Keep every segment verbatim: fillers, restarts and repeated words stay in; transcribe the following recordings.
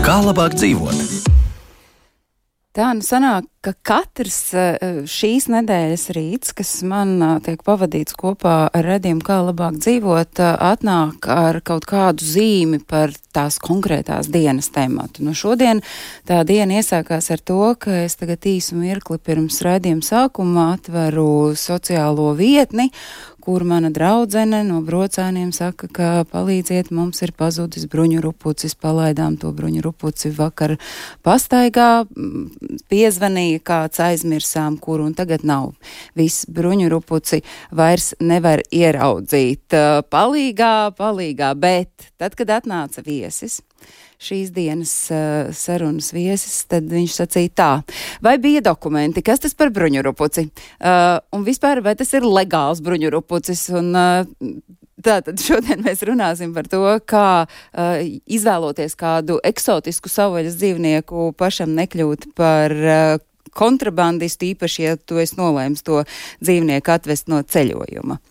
Kā labāk dzīvot? Tā nu sanāk, ka katrs šīs nedēļas rīts, kas man tiek pavadīts kopā ar redzējumu, kā labāk dzīvot, atnāk ar kaut kādu zīmi par tās konkrētās dienas tematu. Nu, šodien tā diena iesākās ar to, ka es tagad īsu mirkli pirms redzējuma sākuma atveru sociālo vietni, kur mana draudzene no Brocēniem saka, ka palīdziet, mums ir pazudis bruņu rupucis, palaidām to bruņu rupuci vakar pastaigā, piezvanīja kāds, aizmirsām, kuru, un tagad nav. Viss bruņu rupuci vairs nevar ieraudzīt. Palīgā, palīgā, bet tad, kad atnāca viesis, šīs dienas uh, sarunas viesis, tad viņš sacīja tā, vai bija dokumenti, kas tas par bruņurupuci, uh, un vispār, vai tas ir legāls bruņurupucis, un uh, tātad šodien mēs runāsim par to, kā uh, izvēloties kādu eksotisku savvaļas dzīvnieku pašam nekļūt par uh, kontrabandistu, īpaši, ja tu esi nolēms to dzīvnieku atvest no ceļojuma.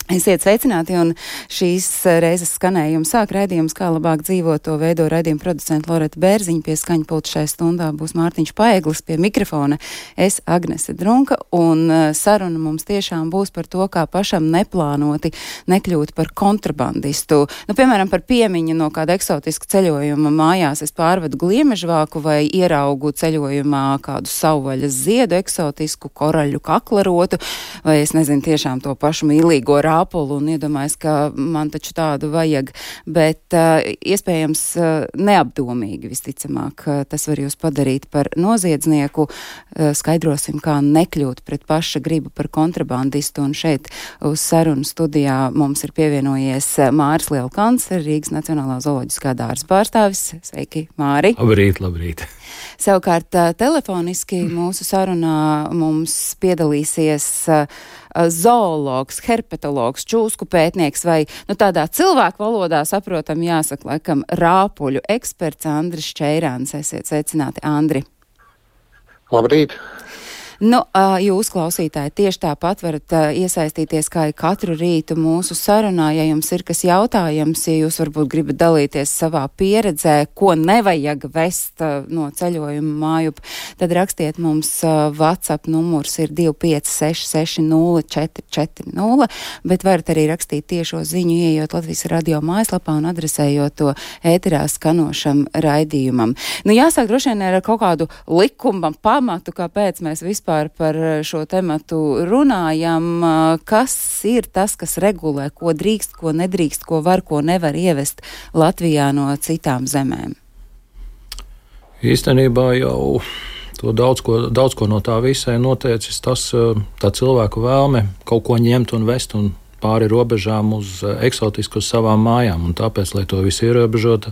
Esiet sveicināti, un šīs reizes skanējumu sāk raidījums, kā labāk dzīvot, to veido raidījuma producenta Loreta Bērziņa, pie skaņa pulta šai stundā būs Mārtiņš Paeglis, pie mikrofona es Agnese Drunka, un saruna mums tiešām būs par to, kā pašam neplānoti nekļūt par kontrabandistu. Nu, piemēram, par piemiņu no kāda eksotiska ceļojuma mājās es pārvedu gliemežvāku vai ieraugu ceļojumā kādu savvaļas ziedu eksotisku koraļu kaklarotu, vai es nezinu tiešām to pašu mīlīgo rādu apulu un iedomājas, ka man taču tādu vajag, bet uh, iespējams uh, neapdomīgi visticamāk uh, tas var jūs padarīt par noziedznieku. Uh, skaidrosim, kā nekļūt pret paša gribu par kontrabandistu, un šeit uz sarunu studijā mums ir pievienojies Māris Lielkans, Rīgas Nacionālā zooloģiskā dārza pārstāvis. Sveiki, Māri! Labrīt, labrīt! Savukārt uh, telefoniski mūsu sarunā mums piedalīsies uh, zoologs, herpetologs, čūsku pētnieks vai, nu, tādā cilvēku valodā saprotam jāsaka, laikam, rāpuļu eksperts Andris Čeirāns. Esiet sveicināti, Andri. Labrīt! Nu, jūs, klausītāji, tieši tāpat varat iesaistīties kā katru rītu mūsu sarunā, ja jums ir kas jautājams, ja jūs varbūt gribat dalīties savā pieredzē, ko nevajag vest no ceļojuma mājup, tad rakstiet mums WhatsApp numurs ir divi pieci seši seši nulle četri četri nulle, bet varat arī rakstīt tiešo ziņu, ieejot Latvijas radio mājaslapā un adresējot to ēterā skanošam raidījumam. Nu, jāsāk droši vien ar kaut kādu likuma pamatu, kāpēc mēs vispār par šo tematu runājam, kas ir tas, kas regulē, ko drīkst, ko nedrīkst, ko var, ko nevar ievest Latvijā no citām zemēm? Īstenībā jau to daudz ko, daudz ko no tā visai noteicis tas, tā cilvēku vēlme kaut ko ņemt un vest un pāri robežām uz eksotisku uz savām mājām, un tāpēc, lai to visu ierobežotu,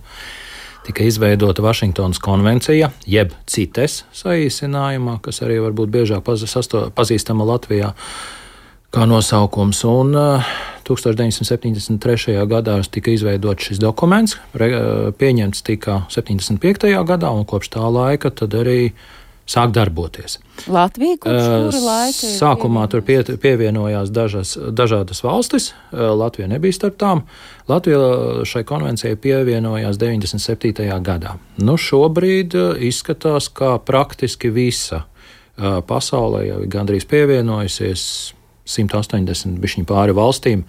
tika izveidota Vašingtonas konvencija, jeb CITES saīsinājumā, kas arī varbūt biežāk pazīstama Latvijā kā nosaukums. Un uh, tūkstoš deviņsimt septiņdesmit trešajā gadā tika izveidots šis dokuments, re, pieņemts tika septiņdesmit piektajā gadā, un kopš tā laika tad arī sāk darboties. Latvija, kurš kura laika? Sākumā tur pie, pievienojās dažas, dažādas valstis, Latvija nebija starp tām. Latvija šai konvencijai pievienojās deviņdesmit septītajā gadā. Nu, šobrīd izskatās, kā praktiski visa pasaulē jau gandrīz pievienojusies simt astoņdesmit bišķiņu pāri valstīm.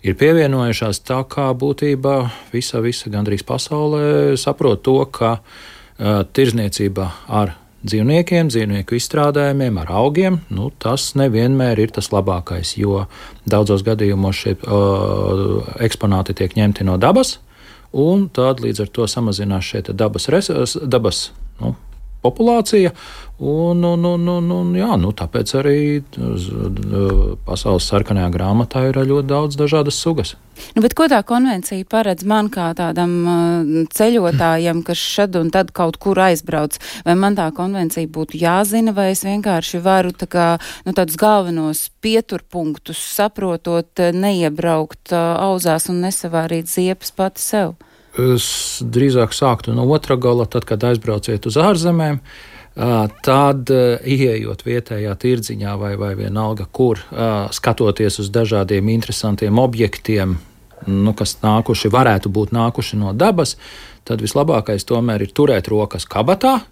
Ir pievienojušās tā, kā būtībā visa, visa gandrīz pasaulē saprot to, ka uh, tirzniecība ar dzīvniekiem, dzīvnieku izstrādājumiem, ar augiem, nu, tas nevienmēr ir tas labākais, jo daudzos gadījumos šie uh, eksponāti tiek ņemti no dabas, un tad līdz ar to samazinās šie dabas, res, dabas nu, populācija. Un, un, un, un, un, jā, nu, tāpēc arī pasaules sarkanajā grāmatā ir ļoti daudz dažādas sugas. Nu, bet ko tā konvencija paredz man kā tādam uh, ceļotājam, kas šad un tad kaut kur aizbrauc? Vai man tā konvencija būtu jāzina, vai es vienkārši varu tā kā, nu, tādus galvenos pieturpunktus saprotot, neiebraukt uh, auzās un nesavārīt ziepes pati sev? Es drīzāk sāktu no otra gala, tad, kad aizbrauciet uz ārzemēm. Tad, ieejot vietējā tirdziņā vai, vai vienalga, kur skatoties uz dažādiem interesantiem objektiem, nu, kas nākuši, varētu būt nākuši no dabas, tad vislabākais tomēr ir turēt rokas kabatā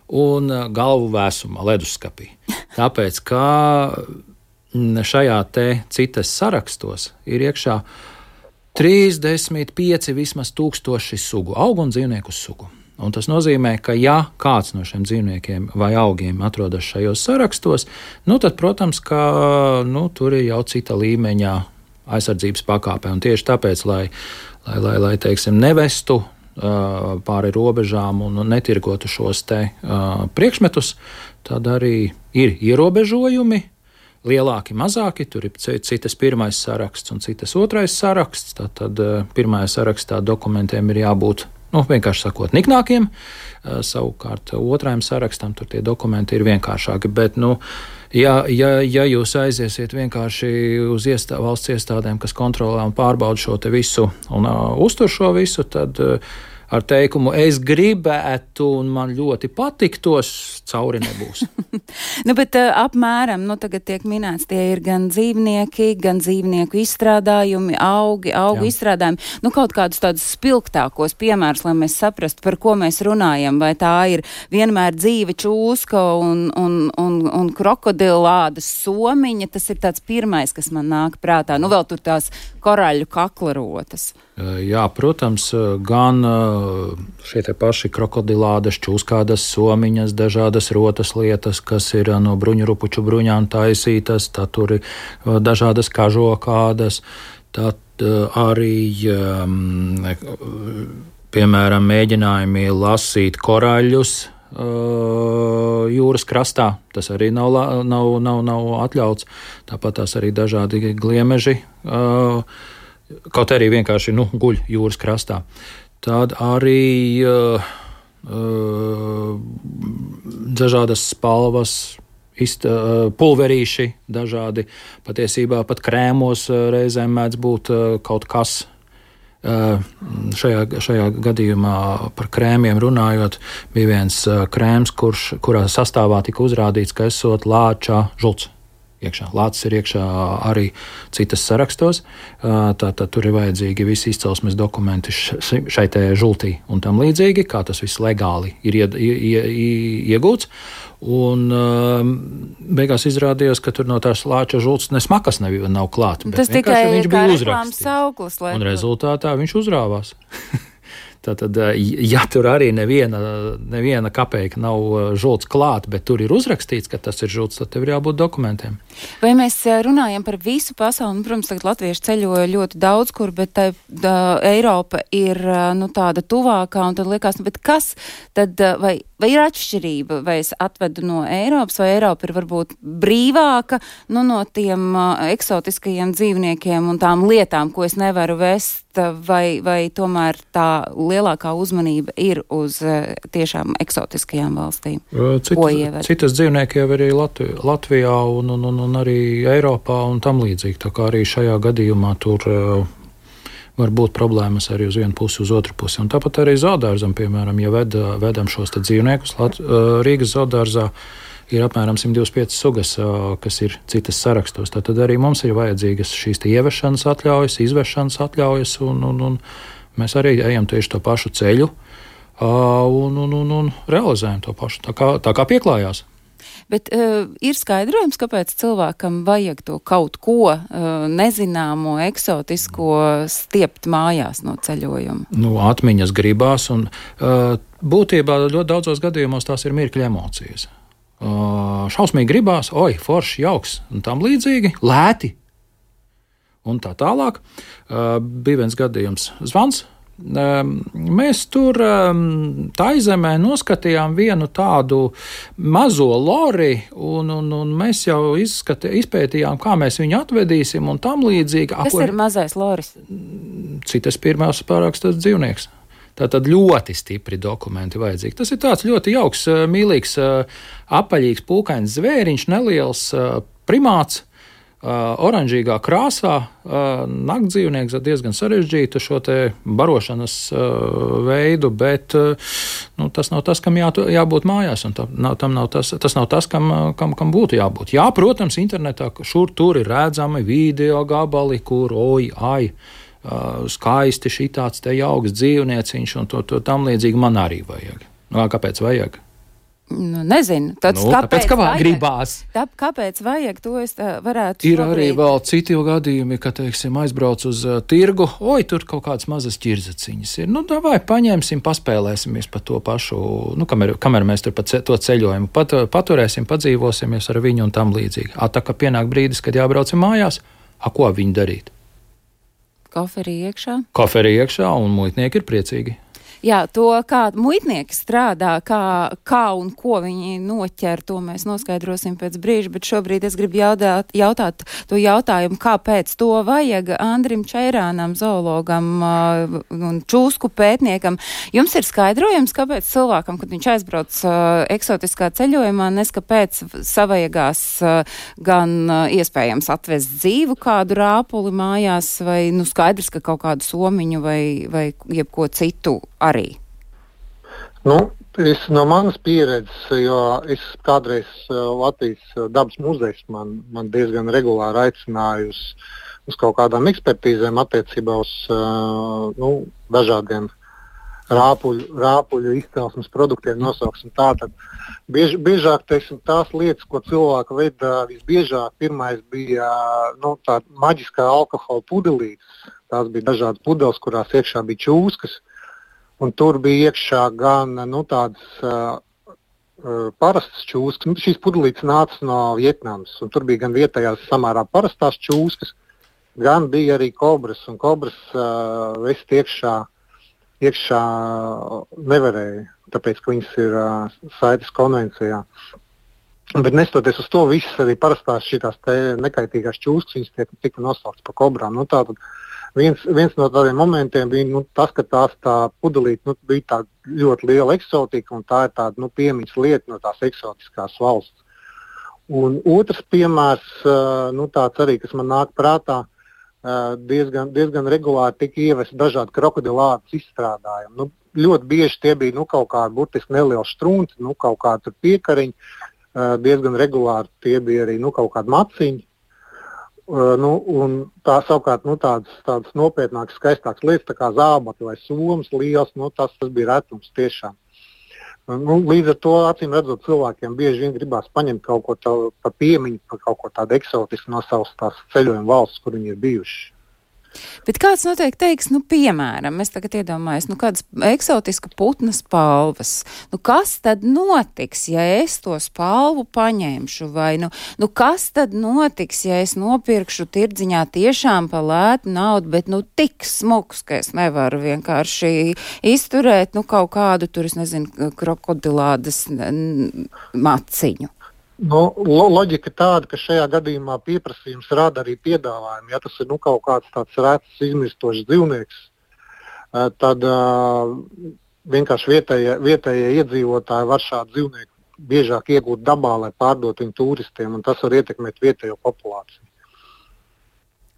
un galvu vēsumā, leduskapī. Tāpēc, ka šajā te citas sarakstos ir iekšā trīsdesmit pieci vismaz tūkstoši sugu, augu un dzīvnieku sugu. Un tas nozīmē, ka ja kāds no šiem dzīvniekiem vai augiem atrodas šajos sarakstos, nu tad, protams, ka nu, tur ir jau cita līmeņa aizsardzības pakāpe. Un tieši tāpēc, lai, lai, lai, lai teiksim, nevestu uh, pāri robežām un netirgotu šos te uh, priekšmetus, tad arī ir ierobežojumi. Lielāki, mazāki, tur ir citas pirmais saraksts un citas otrais saraksts. Tātad uh, pirmajā sarakstā dokumentiem ir jābūt, nu, vienkārši sakot, niknākiem. Uh, savukārt otrajam sarakstam tur tie dokumenti ir vienkāršāki. Bet, nu, ja, ja, ja jūs aiziesiet vienkārši uz iestā, valsts iestādēm, kas kontrolē un pārbauda šo te visu un uh, uztur šo visu, tad uh, ar teikumu, es gribētu un man ļoti patiktos, cauri nebūs. Nu, bet uh, apmēram, nu, tagad tiek minēts, tie ir gan dzīvnieki, gan dzīvnieku izstrādājumi, augi, augu Jā. izstrādājumi. Nu, kaut kādus tādus spilgtākos piemērus, lai mēs saprastu, par ko mēs runājam. Vai tā ir vienmēr dzīve čūska un, un, un, un krokodilādas somiņa. Tas ir tāds pirmais, kas man nāk prātā. Nu, vēl tur tās koraļu kaklarotas. Jā, protams, gan šie te paši krokodilādas, čūskādas, somiņas, dažādas rotas lietas, kas ir no bruņurupuču bruņām taisītas, tad tur ir dažādas kažokādas, tad arī, piemēram, mēģinājumi lasīt koraļus jūras krastā, tas arī nav, nav, nav, nav atļauts, tāpat tās arī dažādi gliemeži, kaut arī vienkārši nu, guļ jūras krastā. Tad arī uh, uh, dažādas spalvas, ist, uh, pulverīši, dažādi patiesībā pat krēmos uh, reizēm mēdz būt uh, kaut kas. Uh, šajā, šajā gadījumā par krēmiem runājot, bija viens uh, krēms, kurš, kurā sastāvā tika uzrādīts, ka esot lāča žults. Iekšā. Lācis ir iekšā arī citas sarakstos, tātad tur ir vajadzīgi visi izcelsmes dokumenti šai te žultī un tam līdzīgi, kā tas viss legāli ir ie, ie, ie, iegūts. Un beigās izrādījās, ka tur no tās lāča žults ne smakas nav, nav klāt, bet tas tikai viņš kā bija reklāmas sauklis. Un rezultātā viņš uzrāvās. Tātad, ja tur arī neviena, neviena kapeika nav žults klāt, bet tur ir uzrakstīts, ka tas ir žults, tad tev ir jābūt dokumentiem. Vai mēs runājam par visu pasauli? Nu, protams, tagad latvieši ceļoja ļoti daudz kur, bet tā, tā, Eiropa ir nu, tāda tuvākā, un tad liekas, nu, bet kas tad, vai, vai ir atšķirība, vai es atvedu no Eiropas, vai Eiropa ir varbūt brīvāka nu, no tiem uh, eksotiskajiem dzīvniekiem un tām lietām, ko es nevaru vest, vai, vai tomēr tā lielākā uzmanība ir uz uh, tiešām eksotiskajām valstīm? Citas, citas dzīvnieki jau arī Latvi, Latvijā un, un, un, un arī Eiropā un tam līdzīgi. Tā kā arī šajā gadījumā tur uh, var būt problēmas arī uz vienu pusi, uz otru pusi. Un tāpat arī zoodārzam, piemēram, ja ved, vedam šos te dzīvniekus, Lat, uh, Rīgas zoodārzā ir apmēram simt divdesmit piecas sugas, uh, kas ir citas sarakstos. Tad arī mums ir vajadzīgas šīs te ievešanas atļaujas, izvešanas atļaujas, un, un, un mēs arī ejam tieši to pašu ceļu uh, un, un, un, un realizējam to pašu, tā kā, tā kā pieklājās. Bet uh, ir skaidrojums, kāpēc cilvēkam vajag to kaut ko uh, nezināmo, eksotisko stiept mājās no ceļojuma? Nu, atmiņas gribās, un uh, būtībā ļoti daudzos gadījumos tās ir mirkļa emocijas. Uh, šausmīgi gribās, oi, forši, jauks, un tam līdzīgi, lēti. Un tā tālāk. Uh, bija viens gadījums zvans Mēs tur Taizemē noskatījām vienu tādu mazo lori, un, un, un mēs jau izskati, izpētījām, kā mēs viņu atvedīsim un tam līdzīgi. Kas ir mazais loris? Citas pirmās pārākstas dzīvnieks. Tātad ļoti stipri dokumenti vajadzīgi. Tas ir tāds ļoti jauks, mīlīgs, apaļīgs, pūkains zvēriņš, neliels primāts, oranžīgā krāsā, naktdzīvnieks ar diezgan sarežģītu šo te barošanas veidu, bet nu, tas nav tas, kam jā, jābūt mājās, un tam nav, tam nav tas, tas nav tas, kam, kam, kam būtu jābūt. Jā, protams, internetā šur tur ir redzami video gabali, kur oj, ai, skaisti šitāds te jauks dzīvnieciņš, un to, to tam līdzīgi man arī vajag. Nu, kāpēc vajag? Nu, nezinu. Tad nu, kāpēc, tāpēc, vajag, gribās. Tā, kāpēc vajag, to es varētu Ir šobrīd. arī vēl citi gadījumi, ka, teiksim, aizbrauc uz uh, tirgu, oj, tur kaut kādas mazas ķirzaciņas ir. Nu, davai, paņemsim, paspēlēsimies pa to pašu, nu, kamēr, kamēr mēs tur pa ce, to ceļojumu pat, paturēsim, padzīvosimies ar viņu un tam līdzīgi. A, tā kā pienāk brīdis, kad jābraucam mājās, a, ko viņi darīt? Koferi iekšā? Koferi iekšā, un muitnieki ir priecīgi. Jā, to, kā muitnieki strādā, kā, kā un ko viņi noķer, to mēs noskaidrosim pēc brīža, bet šobrīd es gribu jautāt, jautāt to jautājumu, kāpēc to vajag Andrim Čeirānam, zoologam uh, un čūsku pētniekam. Jums ir skaidrojums, kāpēc cilvēkam, kad viņš aizbrauc uh, eksotiskā ceļojumā, neskapēc savajagās uh, gan uh, iespējams atvest dzīvu kādu rāpuli mājās, vai nu skaidrs, ka kaut kādu somiņu vai, vai jebko citu arī? Nu, es no manas pieredzes, jo es kādreiz Latvijas dabas muzejs man, man diezgan regulāri aicināju uz, uz kaut kādām ekspertīzēm attiecībā uz nu, dažādiem rāpuļu, rāpuļu izcelsmes produktiem, nosauksim tā. Tad biež, biežāk, teiksim, tās lietas, ko cilvēki veda visbiežāk, pirmais bija nu, tā maģiskā alkohola pudelītes. Tās bija dažādas pudeles, kurās iekšā bija čūskas. Un tur bija iekšā gan nu, tādas uh, uh, parastas čūskas. Nu, šīs pudelītes nāca no Vietnamas, un tur bija gan vietējās samērā parastās čūskas, gan bija arī kobras, un kobras uh, vest iekšā, iekšā nevarēja, tāpēc, ka viņas ir uh, Saites konvencijā. Bet nestoties uz to, visas arī parastās šitās te nekaitīgās čūskas, viņas tiek, tika nosauktas par kobrām. Nu, tātad, Viens, viens no tādiem momentiem bija nu, tas, ka tās tā pudelīte nu, bija tā ļoti liela eksotika, un tā ir tāda nu, piemiņas lieta no tās eksotiskās valsts. Un otrs piemērs, nu, tāds arī, kas man nāk prātā, diezgan, diezgan regulāri tika ievesti dažādi krokodilādes izstrādājumi. Nu, ļoti bieži tie bija nu, kaut kādi burtiski nelieli strunci, nu, kaut kādi piekariņi, diezgan regulāri tie bija arī nu, kaut kādi maciņi. Uh, nu, un tā savukārt nu, tādas, tādas nopietnākas, skaistākas lietas, tā kā zābaki vai somas liels, nu, tas, tas bija retums tiešām. Nu, līdz ar to, acīm redzot, cilvēkiem bieži vien gribās paņemt kaut ko tā, pa piemiņu, pa kaut ko tādu eksotisku no savas tās ceļojuma valsts, kur viņi ir bijuši. Bet kāds noteikti teiks, nu, piemēram, es tagad iedomājos, nu, kādas eksotiska putna spalvas. Nu, kas tad notiks, ja es to spalvu paņemšu? Vai, nu, nu, kas tad notiks, ja es nopirkšu tirdziņā tiešām pa lētu naudu, bet, nu, tik smuks, ka es nevaru vienkārši izturēt, nu, kaut kādu tur, es nezinu, krokodilādes maciņu? Nu, lo, loģika tāda, ka šajā gadījumā pieprasījums rada arī piedāvājumu. Ja tas ir nu, kaut kāds tāds rēts, izmirstošs dzīvnieks, tad uh, vienkārši vietējie, vietējie iedzīvotāji var šādu dzīvnieku biežāk iegūt dabā, lai pārdot viņu turistiem, un tas var ietekmēt vietējo populāciju.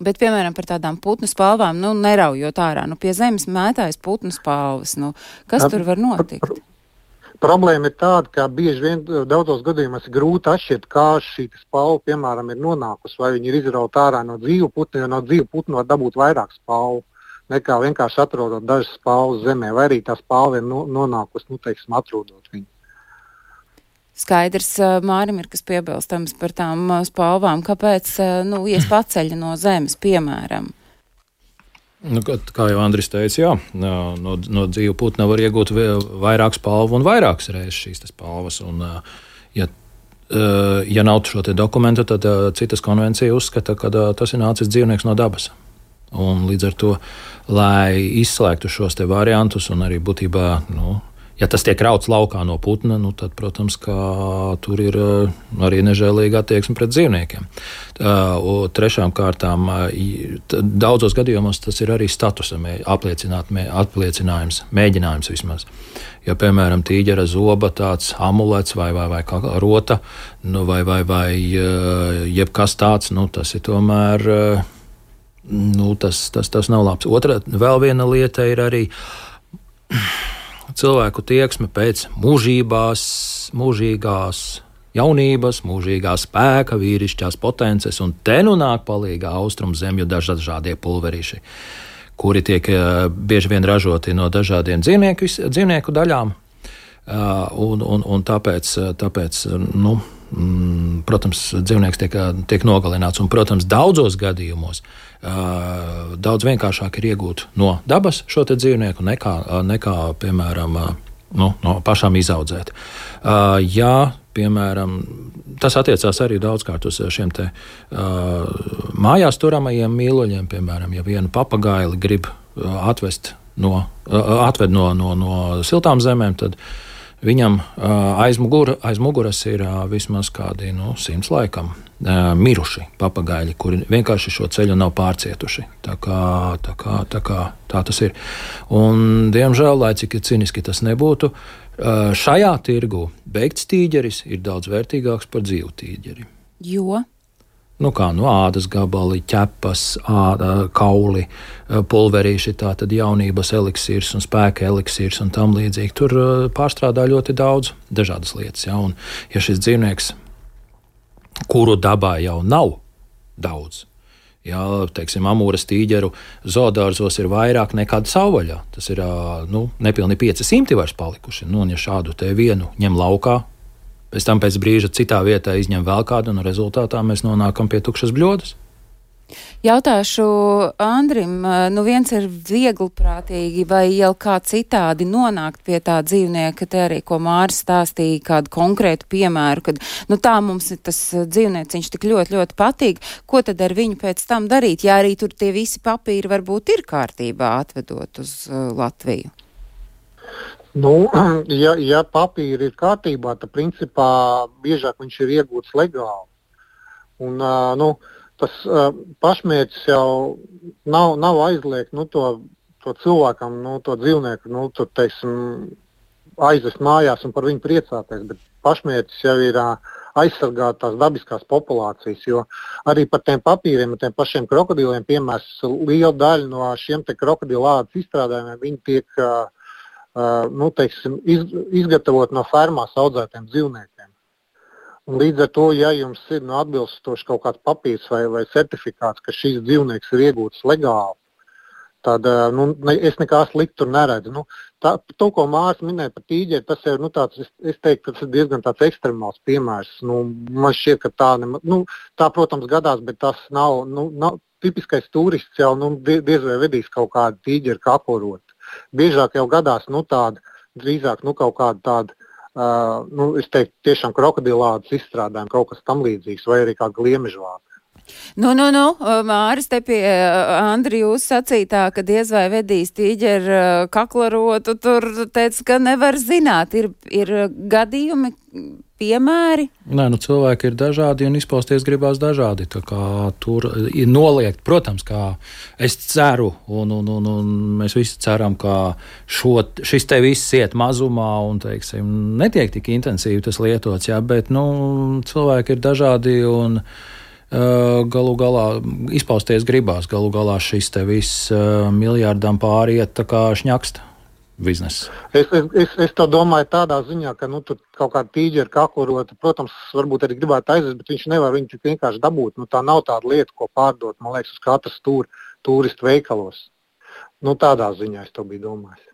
Bet, piemēram, par tādām putnu spalvām, nu, neraujot ārā, nu, pie zemes mētājas putnu spalvas, nu, kas tur var notikt? Problēma ir tāda, ka bieži vien daudzos gadījumos ir grūti atšķirt, kā šī spalva, piemēram, ir nonākusi, vai viņi ir izrauta ārā no dzīvu putnu, jo no dzīvu putnu var dabūt vairāk spalvu, nekā vienkārši atrodot dažas spalvas zemē, vai arī tā spalva ir no, nonākusi, nu, teiksim, atrodot viņu. Skaidrs, Mārim ir kas piebilstams par tām spalvām, kāpēc, nu, ies paceļa no zemes, piemēram. Nu, kā jau Andris teica, jā, no, no dzīvu putna var iegūt vairāk spalvu un vairākas reizes šīs spalvas. Un, ja, ja nav šo te dokumentu, tad citas konvencija uzskata, ka tas ir nācis dzīvnieks no dabas. Un līdz ar to, lai izslēgtu šos te variantus un arī būtībā, nu, ja tas tiek rauts laukā no putna, nu, tad, protams, ka tur ir arī nežēlīga attieksme pret dzīvniekiem. Trešām kārtām, daudzos gadījumos tas ir arī statusa apliecinājums, mēģinājums vismaz. Ja, piemēram, tīģera zoba tāds amulets vai, vai, vai rota, nu, vai, vai, vai jebkas tāds, nu, tas ir tomēr, nu, tas, tas, tas nav labs. Otra, vēl viena lieta ir arī cilvēku tieksme pēc mūžībās, mūžīgās jaunības, mūžīgā spēka, vīrišķās potences, un te nu nāk palīgā austrumu zemju dažādie pulverīši, kuri tiek bieži vien ražoti no dažādiem dzīvnieku, dzīvnieku daļām, un, un, un tāpēc, tāpēc nu, protams, dzīvnieks tiek, tiek nogalināts, un, protams, daudzos gadījumos daudz vienkāršāk ir iegūt no dabas šo te dzīvnieku nekā, nekā piemēram, nu, no pašām izaudzēt. Ja, piemēram, tas attiecās arī daudzkārt uz šiem te mājās turamajiem mīluļiem, piemēram, ja vienu papagaili grib atvest no, atved no, no, no siltām zemēm, tad viņam aiz, mugura, aiz muguras ir vismaz kādi nu, simts laikam miruši papagaļi, kuri vienkārši šo ceļu nav pārcietuši. Tā kā, tā kā, tā kā tā tas ir. Un, diemžēl, lai cik ciniski tas nebūtu, šajā tirgu beigts tīģeris ir daudz vērtīgāks par dzīvu tīģeri. Jo? Nu kā, nu ādas gabali, ķepas, āda, kauli, pulverīši, tātad jaunības eliksīrs un spēka eliksīrs un tam līdzīgi. Tur pārstrādā ļoti daudz dažādas lietas, ja, un ja šis dzīvnieks, kuru dabā jau nav daudz, ja, teiksim, amūras tīģeru zoodārzos ir vairāk nekā savvaļā, tas ir, nu, nepilni pieci simti vairs palikuši, nu, un ja šādu te vienu ņem laukā, pēc tam pēc brīža citā vietā izņem vēl kādu, un rezultātā mēs nonākam pie tukšas bļodas. Jautāšu Andrim, nu viens ir viegliprātīgi vai jau kā citādi nonākt pie tā dzīvnieka, te arī, ko Māris stāstīja, kādu konkrētu piemēru, kad, nu tā mums ir tas dzīvnieciņš tik ļoti, ļoti patīk, ko tad ar viņu pēc tam darīt, ja arī tur tie visi papīri varbūt ir kārtībā atvedot uz uh, Latviju? Nu, ja, ja papīri ir kārtībā, tad principā biežāk viņš ir iegūts legāli. Un, uh, nu, tas uh, pašmērķis jau nav, nav aizliegt nu, to, to cilvēkam, nu, to dzīvnieku, nu, to, teiksim, aizvest mājās un par viņu priecāties, bet pašmērķis jau ir uh, aizsargāt tās dabiskās populācijas, jo arī par tiem papīriem, tiem pašiem krokodiliem, piemērs, liela daļa no šiem te krokodilādas izstrādājumiem, viņi tiek uh, uh, nu, teiksim, iz, izgatavot no fermās audzētiem dzīvniekiem. Un līdz ar to, ja jums ir nu, atbilstoši kaut kāds papīrs vai, vai certifikāts, ka šīs dzīvnieks ir iegūts legāli, tad nu, ne, es nekā sliktu tur neredzu. Nu, tā, to, ko Māris minēja par tīģeri, tas ir nu, tāds, es, es teiktu, tas ir diezgan tāds ekstremāls piemērs. Nu, man šķiet, ka tā, ne, nu, tā, protams, gadās, bet tas nav, nu, nav tipiskais turists jau nu, diez vai vedīs kaut kādu tīģeri kaporot. Biežāk jau gadās nu, tāda, drīzāk nu, kaut kāda tāda, Uh, nu, es teiktu, tiešām krokodilādas izstrādājumi, kaut kas tam līdzīgs, vai arī kā gliemežvāka. Nu, nu, nu, Māris, te pie Andri jūs sacītā, ka diez vai vedīs tīģeru kaklarotu, tur teica, ka nevar zināt, ir, ir gadījumi, piemēri? Nē, nu cilvēki ir dažādi un izpausties gribās dažādi, tā kā tur ir noliegt, protams, kā es ceru, un, un, un, un mēs visi ceram, ka šo, šis te viss iet mazumā un, teiksim, netiek tik intensīvi tas lietots, jā, bet, nu, cilvēki ir dažādi un uh, galu galā izpausties gribās, galu galā šis te viss uh, miljārdam pāriet tā kā šņakst. Biznesa. Es, es, es, es to domāju tādā ziņā, ka nu, tur kaut kāda tīģera kakurota, protams, varbūt arī gribētu aizvest, bet viņš nevar viņu tik vienkārši dabūt. Nu, tā nav tāda lieta, ko pārdot, man liekas, uz katras tur, turistu veikalos. Nu, tādā ziņā es to biju domājis.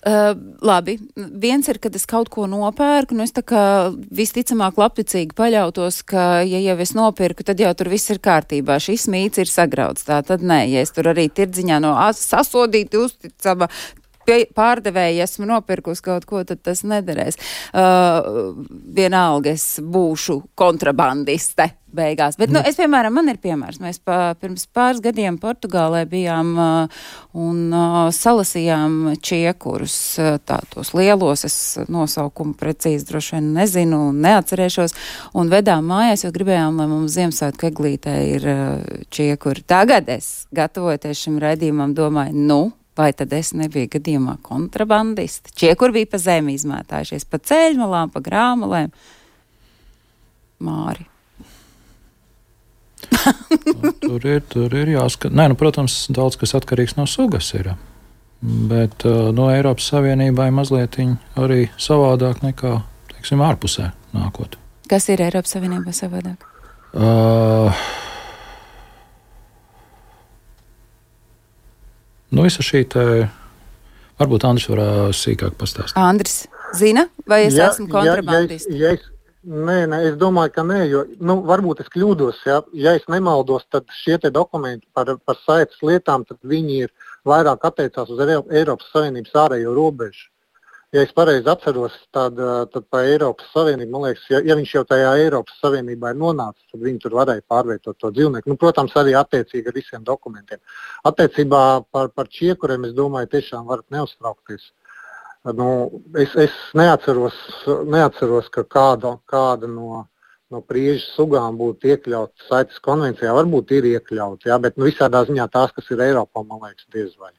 Uh, labi, viens ir, kad es kaut ko nopērku, nu es tā kā visticamāk labticīgi paļautos, ka, ja jau es nopirku, tad jau tur viss ir kārtībā, šis mīts ir sagrauts, tā tad nē, ja es tur arī tirdziņā no sasodīti uzticama pārdevēji esmu nopirkus kaut ko, tad tas nederēs. Uh, vienalga es būšu kontrabandiste beigās. Bet, nu, es, piemēram, man ir piemērs. Mēs pa, pirms pāris gadiem Portugālē bijām uh, un uh, salasījām čiekurus, uh, tā tos lielos, es nosaukumu precīzi droši vien nezinu un neatcerēšos, un vedām mājās, jo gribējām, lai mums Ziemassvētku eglītē ir uh, čiekuri. Tagad es, gatavoties šim raidījumam, domāju, nu, vai tad es nebiju gadījumā kontrabandista? Čiekuri bija pa zemi izmētājušies, pa ceļmalām, pa grāmalēm. Māri. nu, tur ir, tur ir jāskat. Nē, nu, protams, daudz kas atkarīgs no sugas ir. Bet uh, no Eiropas Savienībai mazliet arī savādāk nekā, teiksim, ārpusē nākot. Kas ir Eiropas Savienībā savādāk? Uh, nu, visa šī te, varbūt Andris var uh, sīkāk pastāstīt. Andris zina, vai es ja, esmu kontrabandists? Ja, ja es, nē, nē, es domāju, ka nē, jo, nu, varbūt es kļūdos, ja, ja es nemaldos, tad šie te dokumenti par, par saites lietām, tad viņi ir vairāk attiecās uz Eiropas Savienības ārējo robežu. Ja es pareizi atceros, tad, tad pa Eiropas Savienību, man liekas, ja, ja viņš jau tajā Eiropas Savienībā ir nonācis, tad viņi tur varēja pārvietot to dzīvnieku. Nu, protams, arī attiecīgi ar visiem dokumentiem. Attiecībā par, par čiekuriem, es domāju, tiešām varat neuztraukties. Nu, es, es neatceros, neatceros, ka kāda, kāda no, no priežu sugām būtu iekļauts saites konvencijā. Varbūt ir iekļauts, jā, bet nu, visādā ziņā tās, kas ir Eiropā, man liekas, diez vai.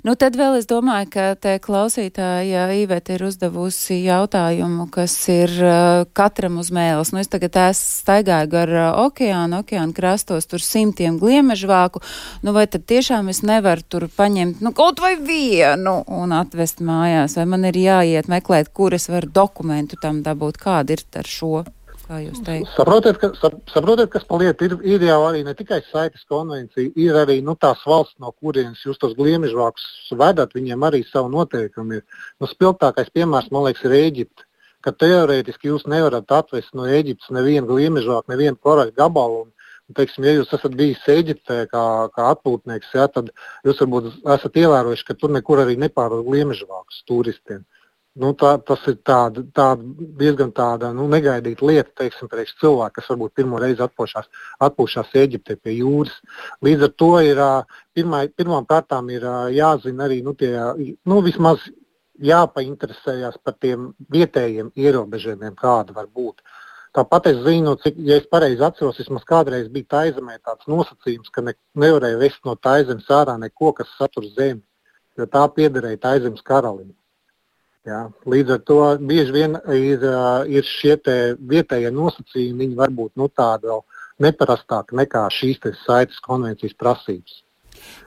Nu, tad vēl es domāju, ka te klausītāja Iveta ir uzdevusi jautājumu, kas ir uh, katram uz mēles. Nu, es tagad es staigāju gar uh, okeānu, okeānu krastos, tur simtiem gliemežvāku. Nu, vai tad tiešām es nevaru tur paņemt, nu, kaut vai vienu un atvest mājās? Vai man ir jāiet meklēt, kur es varu dokumentu tam dabūt? Kāda ir ar šo? Saprotiet, ka, saprotiet, kas paliet, ir, ir jau arī ne tikai saites konvencija, ir arī nu, tās valsts, no kurienes jūs tos gliemežvākus vedat, viņiem arī savu noteikumu ir. Nu, spilgtākais piemērs, man liekas, ir Ēģipte, ka teorētiski jūs nevarat atvest no Ēģiptes nevienu gliemežvāku, nevienu koraļu gabalu. Un, teiksim, ja jūs esat bijis Ēģiptē kā, kā atpūtnieks, ja, tad jūs varbūt esat ievērojuši, ka tur nekur arī nepārved gliemežvākus turistiem. Nu, tā, tas ir tāda, tāda, diezgan tāda nu, negaidīta lieta, teiksim, priekš cilvēku, kas varbūt pirmo reizi atpūšās, atpūšās Ēģiptē pie jūras. Līdz ar to ir pirmā, pirmām kārtām ir jāzina arī, nu, tie, nu, vismaz jāpainteresējās par tiem vietējiem ierobežojumiem, kāda var būt. Tāpat es zinu, cik, ja es pareizi atceros, vismaz kādreiz bija Taizemē tāds nosacījums, ka ne, nevarēja vest no Taizemes ārā neko, kas satur zemi, jo tā piederēja Taizemes karalim. Jā, līdz ar to bieži vien ir, ir šie te vietējie nosacījumi, viņi var būt nu, tādi vēl neparastāki nekā šīs te saites konvencijas prasības.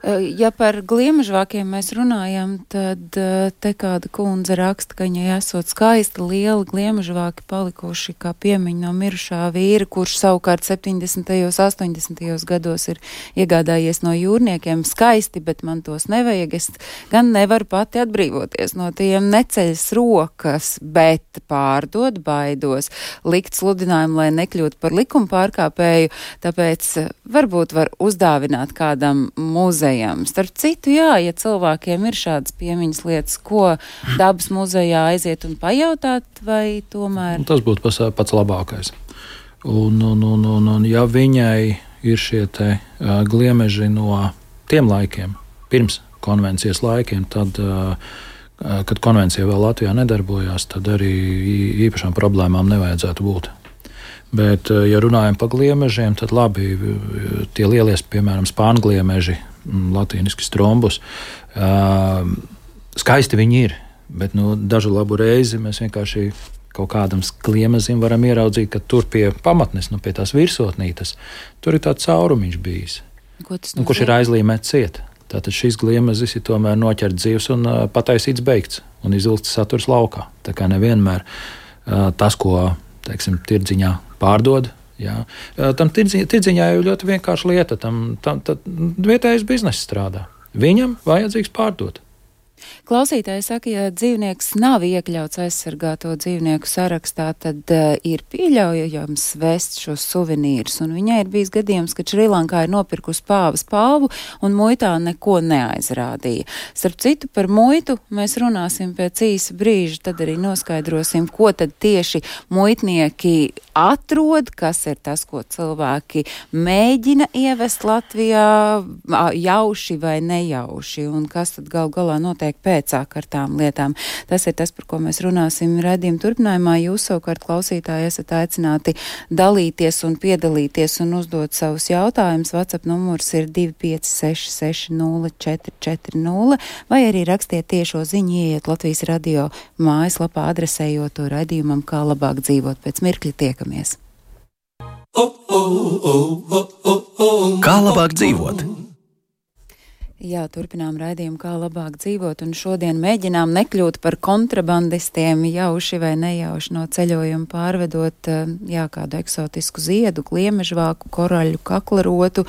Ja par gliemežvākiem mēs runājam, tad te kāda kundze raksta, ka viņai esot skaisti lieli gliemežvāki palikuši kā piemiņa no mirušā vīra, kurš savukārt septiņdesmitajos, astoņdesmitajos gados ir iegādājies no jūrniekiem. Skaisti, bet man tos nevajag. Es gan nevaru pati atbrīvoties no tiem, neceļas rokas, bet pārdot baidos, likt sludinājumu, lai nekļūtu par likuma pārkāpēju, tāpēc varbūt var uzdāvināt kādam muzejam. Starp citu, jā, ja cilvēkiem ir šādas piemiņas lietas, ko dabas muzejā aiziet un pajautāt, vai tomēr? Tas būtu pats, pats labākais. Un, un, un, un, un ja viņai ir šie te uh, gliemeži no tiem laikiem, pirms konvencijas laikiem, tad, uh, kad konvencija vēl Latvijā nedarbojās, tad arī īpašām problēmām nevajadzētu būt. Bet, ja runājam par gliemežiem, tad labi, tie lielie, piemēram, spāngliemeži, latīniski strombus, skaisti viņi ir, bet nu, dažu labu reizi mēs vienkārši kaut kādam kliemezim varam ieraudzīt, ka tur pie pamatnes, nu, pie tās virsotnītes, tur ir tāds caurumiņš bijis, nu, kurš ir aizlīmēts ciet. Tātad šis gliemezis ir tomēr noķert dzīves un uh, pataisīts beigts un izvilkts saturs laukā. Tā kā nevienmēr uh, tas, ko, teiksim, tirdziņā pārdod, jā. Uh, tam tirdziņā, tirdziņā jau ļoti vienkārši lieta, tam, tam, tam vietējais bizness strādā. Viņam vajadzīgs pārdot. Klausītāji saka, ja dzīvnieks nav iekļauts aizsargāto dzīvnieku sarakstā, tad uh, ir pieļaujams vest šos suvenīrus. Un viņai ir bijis gadījums, ka Šrilankā ir nopirkusi pāvas palvu un muitā neko neaizrādīja. Starp citu, par muitu mēs runāsim pēc īsa brīža, tad arī noskaidrosim, ko tad tieši muitnieki atrod, kas ir tas, ko cilvēki mēģina ievest Latvijā, jauši vai nejauši, un kas tad gal galā notiek pēcāk ar tām lietām. Tas ir tas, par ko mēs runāsim raidījuma turpinājumā. Jūs savukārt, klausītāji, esat aicināti dalīties un piedalīties un uzdot savus jautājumus. WhatsApp numurs ir divi pieci seši seši nulle četri četri nulle, vai arī rakstiet tiešo ziņu, ieiet Latvijas radio mājaslapā, adresējot to raidījumam, kā labāk dzīvot. Pēc mirkļa tiekamies. Kā labāk dzīvot? Jā, turpinām raidījumu, kā labāk dzīvot, un šodien mēģinām nekļūt par kontrabandistiem, jauši vai nejauši no ceļojuma pārvedot, jā, kādu eksotisku ziedu, gliemežvāku, koraļu, kaklarotu,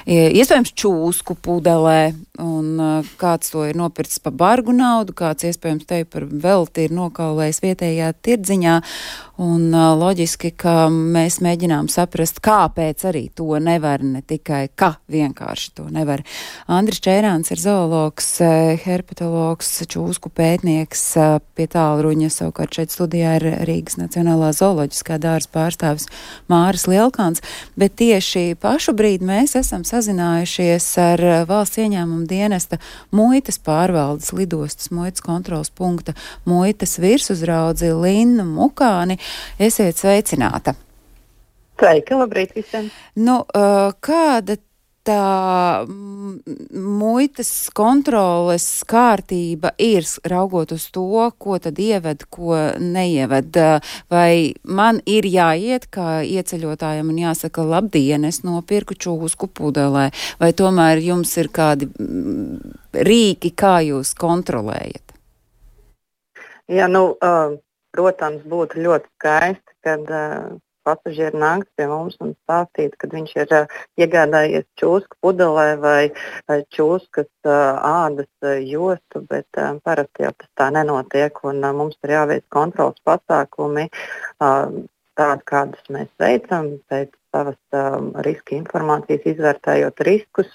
iespējams čūsku pudelē, un kāds to ir nopircis pa bargu naudu, kāds iespējams te par velti ir nokaulējis vietējā tirdziņā, un loģiski, ka mēs mēģinām saprast, kāpēc arī to nevar, ne tikai ka vienkārši to nevar. Andris Čērāns ir zoologs, herpetologs, čūsku pētnieks, pie tālruņa, savukārt šeit studijā ir Rīgas Nacionālā zooloģiskā dārza pārstāvis Māris Lielkāns, bet tieši pašu brīdi mēs esam sazinājušies ar valsts ieņēmuma dienesta muitas pārvaldes lidostas muitas kontrolas punkta muitas virsuzraudzi Linnu Mukāni. Esiet sveicināta. Sveiki, labrīt visiem. Nu, kāda tā muitas kontroles kārtība ir, raugot uz to, ko tad ieved, ko neieved? Vai man ir jāiet kā ieceļotājiem un jāsaka, labdien, es nopirku čūsku pudelē, vai tomēr jums ir kādi rīki, kā jūs kontrolējat? Jā, nu, uh, protams, būtu ļoti skaisti, kad uh, pasažieri nāks pie mums un stāstīt, kad viņš ir uh, iegādājies čūsku pudelē vai uh, čūskas uh, ādas uh, jostu, bet uh, parasti jau tas tā nenotiek, un uh, mums ir jāveic kontrols pasākumi, uh, tādi, kādus mēs veicam, pēc savas uh, riska informācijas, izvērtējot riskus.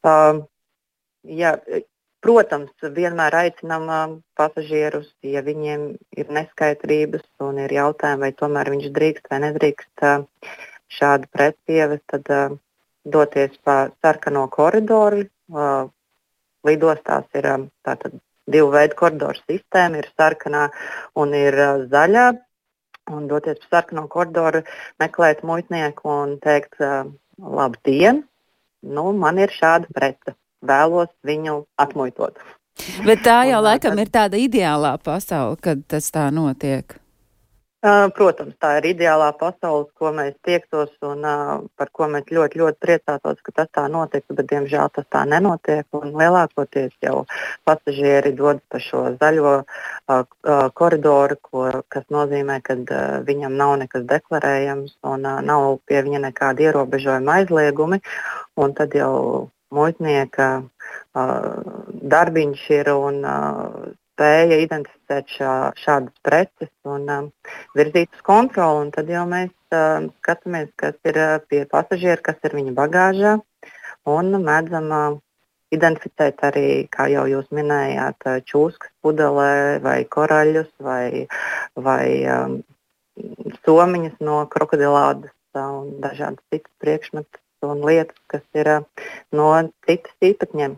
Uh, jā, Protams, vienmēr aicinām uh, pasažierus, ja viņiem ir neskaidrības un ir jautājumi, vai tomēr viņš drīkst vai nedrīkst uh, šādu preci ievest, tad uh, doties pa sarkano koridoru. Uh, lidostās ir uh, tātad divu veidu koridoru sistēma, ir sarkanā un ir uh, zaļā. Un doties pa sarkano koridoru, meklēt muitnieku un teikt, uh, labdien, nu, man ir šāda prece. Vēlos viņu atmuitot. Bet tā jau laikam ir tāda ideālā pasaule, kad tas tā notiek. Uh, protams, tā ir ideālā pasaule, ko mēs tiektos un uh, par ko mēs ļoti, ļoti priecātos, ka tas tā notiek, bet diemžēl tas tā nenotiek. Un lielākoties jau pasažieri dodas pa šo zaļo uh, uh, koridoru, ko, kas nozīmē, ka uh, viņam nav nekas deklarējams un uh, nav pie viņa nekāda ierobežojuma aizliegumi. Un tad jau muitnieka uh, darbiņš ir un uh, spēja identificēt šā, šādas preces un uh, virzīt uz kontroli. Un tad jau mēs uh, skatāmies, kas ir uh, pie pasažiera, kas ir viņa bagāžā, un mēdzam uh, identificēt arī, kā jau jūs minējāt, uh, čūskas pudelē vai koraļus vai, vai um, somiņas no krokodilādas uh, un dažādas citas priekšmetus un lietas, kas ir uh, no citas īpatņiem.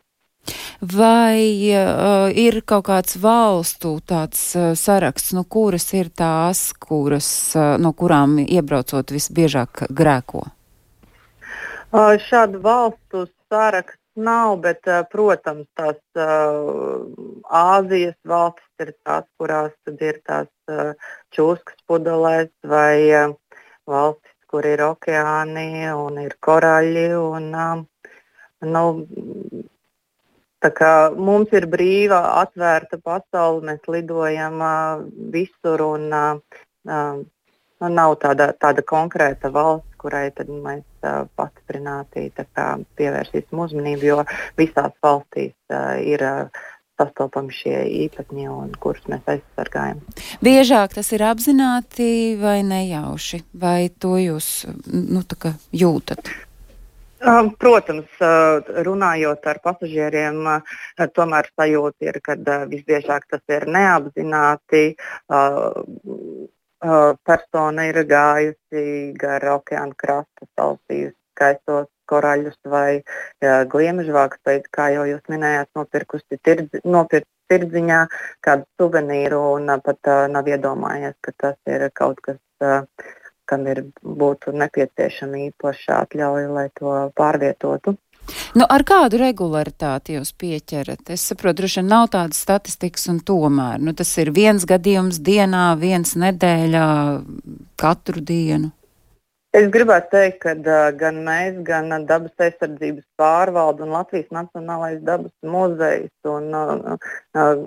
Vai uh, ir kaut kāds valstu tāds uh, saraksts, no kuras ir tās, kuras, uh, no kurām iebraucot visbiežāk grēko? Uh, šādu valstu saraksts nav, bet, uh, protams, tās uh, Āzijas valstis ir tās, kurās tad ir tās uh, čūskas pudelēs vai uh, valstis, kur ir okeāni un ir koraļi. Un, uh, nu, tā kā mums ir brīva, atvērta pasaule, mēs lidojam uh, visur un uh, uh, nu, nav tāda, tāda konkrēta valsts, kurai tad mēs uh, pastiprināti tā kā pievērsīsim uzmanību, jo visās valstīs uh, ir uh, sastopami šie īpatņi un kurus mēs aizsargājam. Biežāk tas ir apzināti vai nejauši? Vai to jūs nu, tā kā jūtat? Protams, runājot ar pasažieriem, tomēr sajūta ir, ka visbiežāk tas ir neapzināti. Persona ir gājusi gar okeāna krastu, sausījusi skaistos koraļus vai gliemežvākus, vai, kā jau jūs minējāt, nopirkusi tirdzi, nopirkt tirdziņā kādu suvenīru un pat nav iedomājies, ka tas ir kaut kas, kam ir būtu nepieciešama īpaša atļauja, lai to pārvietotu. Nu, ar kādu regularitāti jūs pieķerat? Es saprotu, droši vien nav tādas statistikas un tomēr. Nu, tas ir viens gadījums dienā, viens nedēļā, katru dienu. Es gribētu teikt, ka uh, gan mēs, gan uh, Dabas aizsardzības pārvalde un Latvijas Nacionālais dabas muzejs un, uh, uh,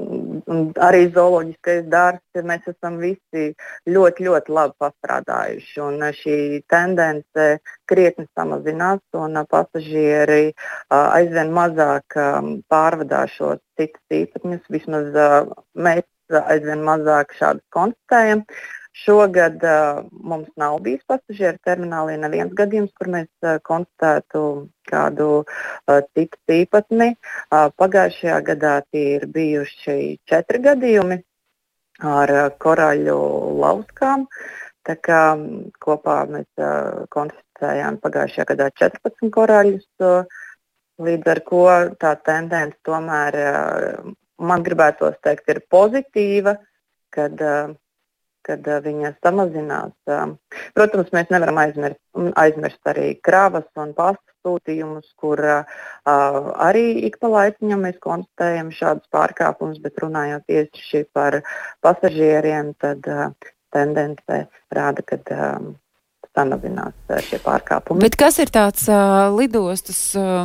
un arī zooloģiskais dārzs, mēs esam visi ļoti, ļoti labi pastrādājuši. Un uh, šī tendence krietni samazinās un uh, pasažieri uh, aizvien mazāk um, pārvadā šos citus īpatņus. Vismaz uh, mēs aizvien mazāk šādus konstatējam. Šogad uh, mums nav bijis pasažieru terminālī neviens gadījums, kur mēs uh, konstatētu kādu uh, citu īpatni. Uh, pagājušajā gadā tie ir bijuši četri gadījumi ar uh, koraļu lauskām. Tā kā um, kopā mēs uh, konstatējām pagājušajā gadā četrpadsmit koraļus, uh, līdz ar ko tā tendence tomēr, uh, man gribētos teikt, ir pozitīva, kad uh, kad uh, viņa samazinās. Uh, protams, mēs nevaram aizmirst, aizmirst arī kravas un pasta sūtījumus, kur uh, arī ik pa laiciņam mēs konstatējam šādus pārkāpumus, bet runājot tieši par pasažieriem, tad uh, tendence rāda, ka uh, samazinās šie pārkāpumi. Bet kas ir tāds uh, lidostas uh,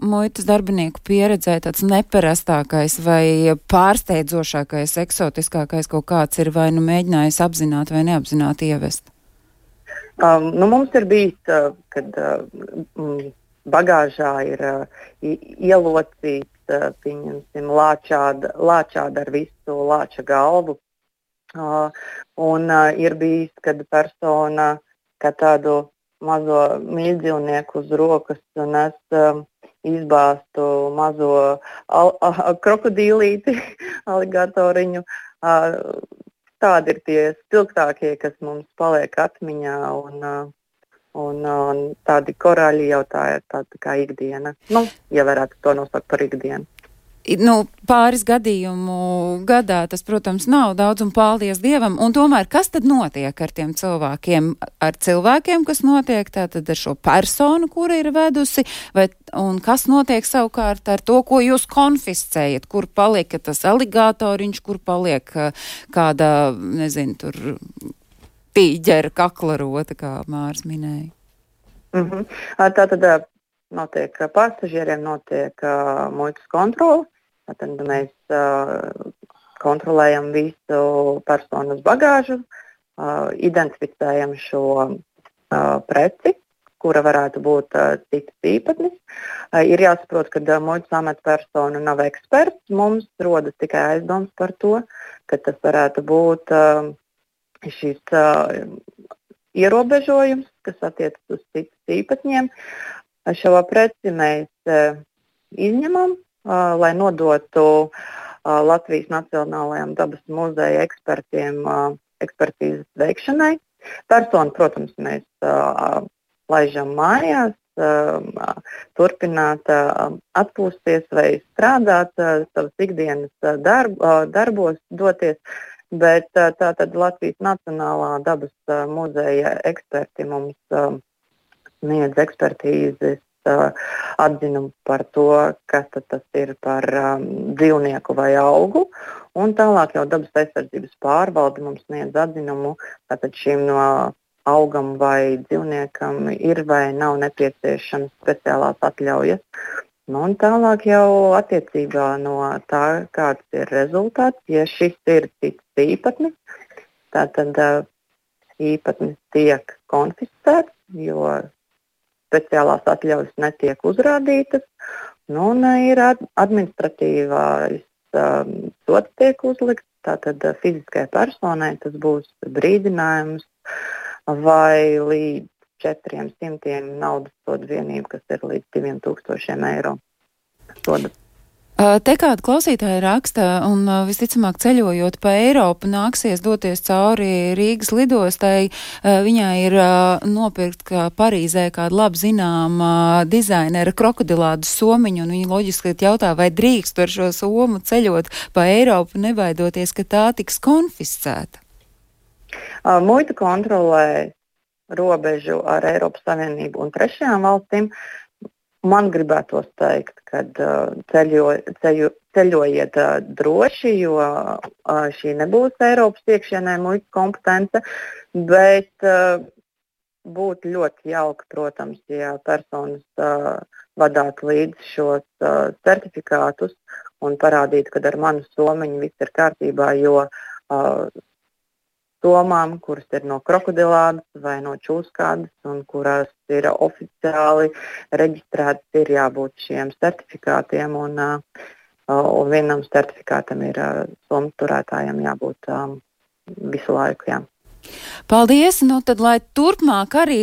muitas darbinieku pieredzē, tāds neparastākais vai pārsteidzošākais, eksotiskākais kaut kāds ir vai nu mēģinājis apzināt vai neapzināt ievest? Um, nu, mums ir bijis, uh, kad uh, bagāžā ir uh, ielocīts, uh, pieņemsim, lāčāda, lāčāda ar visu lāča galvu. Uh, un uh, ir bijis, kad persona kā tādu mazo mīļdzīvnieku uz rokas un es um, izbāstu mazo al, a, krokodīlīti, aligatoriņu. Uh, tādi ir tie spilgtākie, kas mums paliek atmiņā un, uh, un, un tādi korāļi jau tā ir tāda kā ikdiena. Nu, ja varētu to nosaukt par ikdienu. Nu, pāris gadījumu gadā tas, protams, nav daudz un paldies Dievam. Un tomēr, kas tad notiek ar tiem cilvēkiem? Ar cilvēkiem, kas notiek tātad ar šo personu, kura ir vedusi, vai, un kas notiek savukārt ar to, ko jūs konfiscējat? Kur paliek tas aligatoriņš, kur paliek kāda, nezinu, tur tīģera kaklarota, kā Māris minēja? Mm-hmm. Tātad notiek pasažieriem, notiek uh, muitas kontrole. Tad mēs uh, kontrolējam visu personas bagāžu, uh, identificējam šo uh, preci, kura varētu būt uh, citas īpatnis. Uh, ir jāsaprot, ka uh, muitas amatpersona nav eksperts. Mums rodas tikai aizdoms par to, ka tas varētu būt uh, šis uh, ierobežojums, kas attiecas uz citas īpatņiem. Šo preci mēs uh, izņemam, uh, lai nodotu uh, Latvijas Nacionālajām dabas muzeja ekspertiem uh, ekspertīzes veikšanai. Personu, protams, mēs uh, laižam mājās, uh, turpināt uh, atpūsties vai strādāt, uh, savas ikdienas uh, darb, uh, darbos doties, bet uh, tātad Latvijas Nacionālā dabas uh, muzeja eksperti mums uh, sniedz ekspertīzes uh, atzinumu par to, kas tas ir par um, dzīvnieku vai augu, un tālāk jau dabas aizsardzības pārvalde mums sniedz atzinumu, tātad šim no augam vai dzīvniekam ir vai nav nepieciešams speciālās atļaujas. Nu, un tālāk jau attiecībā no tā, kāds ir rezultāts, ja šis ir cits īpatnis, tātad uh, īpatnis tiek konfiscēts, jo speciālās atļaujas netiek uzrādītas, nu, un ir administratīvais um, sots tiek uzlikts, tātad uh, fiziskai personai tas būs brīdinājums vai līdz četriem simtiem naudas soda vienību, kas ir līdz diviem tūkstošiem eiro soda. Te kāda klausītāja raksta, un visticamāk ceļojot pa Eiropu nāksies doties cauri Rīgas lidostai. Viņai ir nopirkt kā Parīzē kādu labi zināma dizainera krokodilādu somiņu, un viņa loģiski jautā, vai drīkst ar šo somu ceļot pa Eiropu, nebaidoties, ka tā tiks konfiscēta. Muita kontrolē robežu ar Eiropas Savienību un trešajām valstīm. Man gribētos teikt, ka ceļo, ceļo, ceļojiet droši, jo šī nebūs Eiropas iekšienē muitas kompetence, bet būtu ļoti jauki, protams, ja personas vadātu līdzi šos certifikātus un parādītu, ka ar manu somiņu viss ir kārtībā, jo somām, kuras ir no krokodilādas vai no čūskādas un kuras ir oficiāli reģistrētas, ir jābūt šiem certifikātiem, un, un vienam certifikātam ir somu turētājiem jābūt um, visu laiku. Jā. Paldies! Nu tad, lai turpmāk arī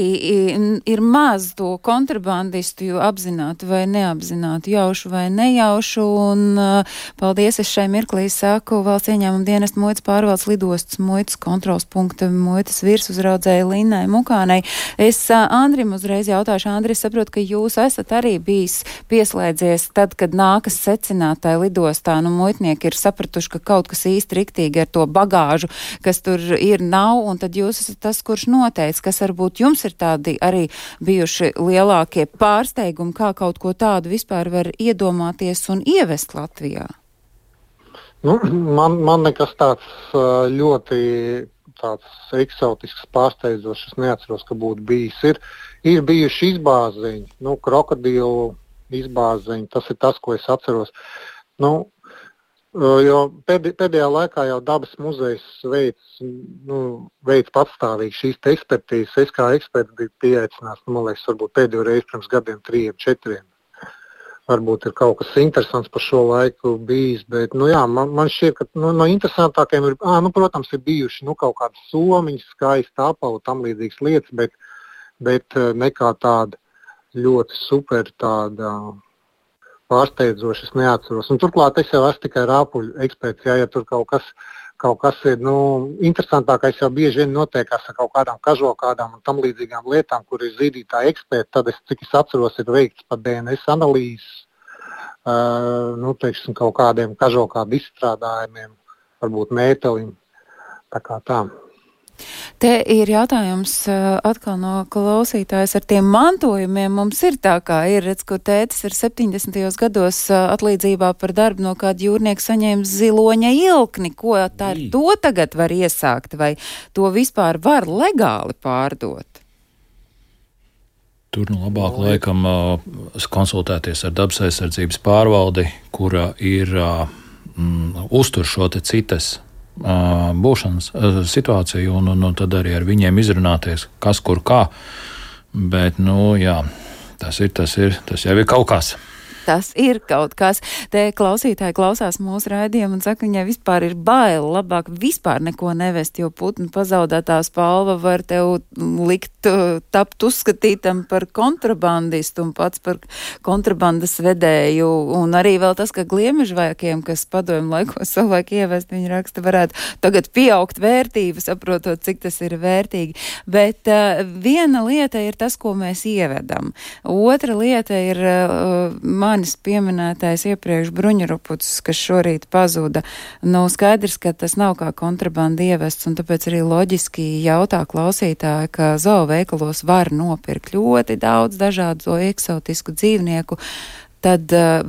ir maz to kontrabandistu, jo apzināti vai neapzināti, jaušu vai nejaušu, un uh, paldies es šai mirklī saku valsts ieņēmuma dienesta muitas pārvaldes lidostas muitas kontrols punkta muitas virsuzraudzēja Linnai Mukānei. Es uh, Andrim uzreiz jautāšu, Andri, es saprotu, ka jūs esat arī bijis pieslēdzies tad, kad nākas secinātāji lidostā, nu muitnieki ir sapratuši, ka kaut kas īsti riktīgi ar to bagāžu, kas tur ir, nav, un tad jūs esat tas, kurš noteica, kas varbūt jums ir tādi arī bijuši lielākie pārsteigumi, kā kaut ko tādu vispār var iedomāties un ievest Latvijā? Nu, man, man nekas tāds ļoti tāds eksotisks pārsteidzošs, es neatceros, ka būtu bijis. Ir, ir bijuši izbāziņi, nu, krokodilu izbāziņi, tas ir tas, ko es atceros. Nu, Jo pēdējā laikā jau dabas muzejs veids, nu, veids patstāvīgi šīs te ekspertīzes. Es kā eksperts biju pieaicināts, nu, man liekas, varbūt pēdējo reizi pirms gadiem, trījiem, četriem. Varbūt ir kaut kas interesants par šo laiku bijis, bet, nu jā, man, man šķiet, ka nu, no interesantākajiem ir, ā, nu, protams, ir bijuši, nu, kaut kādas somiņas, skaisti apavi, tam līdzīgas lietas, bet, bet nekā tāda ļoti super tāda pārsteidzoši, es neatceros. Un turklāt es jau esmu tikai rāpuļu eksperts, jā, ja tur kaut kas, kaut kas ir, nu, interesantākais jau bieži vien notiekās ar kaut kādām kažokādām un tam līdzīgām lietām, kur ir zīdītāji eksperti, tad es, cik es atceros, ir veikts pat D N S analīzes, uh, nu, teiksim, kaut kādiem kažokādu izstrādājumiem, varbūt mētelim, tā kā tā. Te ir jautājums atkal no klausītājas ar tiem mantojumiem. Mums ir tā, kā ir, redz, ko tētis ir septiņdesmitajos gados atlīdzībā par darbu no kāda jūrnieka saņēma ziloņa ilkni. Ko tā ar to tagad var iesākt, vai to vispār var legāli pārdot? Tur nu labāk laikam konsultēties ar dabas aizsardzības pārvaldi, kura ir mm, uztur šo te citas būšanas situāciju, un, un, un tad arī ar viņiem izrunāties, kas kur kā. Bet, nu, jā, tas ir, tas ir, tas jau ir kaut kas. Tas ir kaut kas. Te klausītāji klausās mūsu raidījumu un saka, viņai vispār ir bail, labāk vispār neko nevest, jo putnu pazaudētā spalva var tev likt tapt uzskatītam par kontrabandistu un pats par kontrabandas vedēju. Un arī vēl tas, ka gliemežvaikiem, kas padomju laikos savulaik ievest, viņi raksta, varētu tagad pieaugt vērtību, saprotot, cik tas ir vērtīgi. Bet uh, viena lieta ir tas, ko mēs ievedam. Otra lieta ir uh, manis pieminētais iepriekš bruņurupucis, kas šorīt pazuda. Nu, skaidrs, ka tas nav kā kontrabanda ievests, un tāpēc arī loģiski jautā klausītāji, ka zooveikalos var nopirkt ļoti daudz dažādu eksotisku dzīvnieku, tad uh,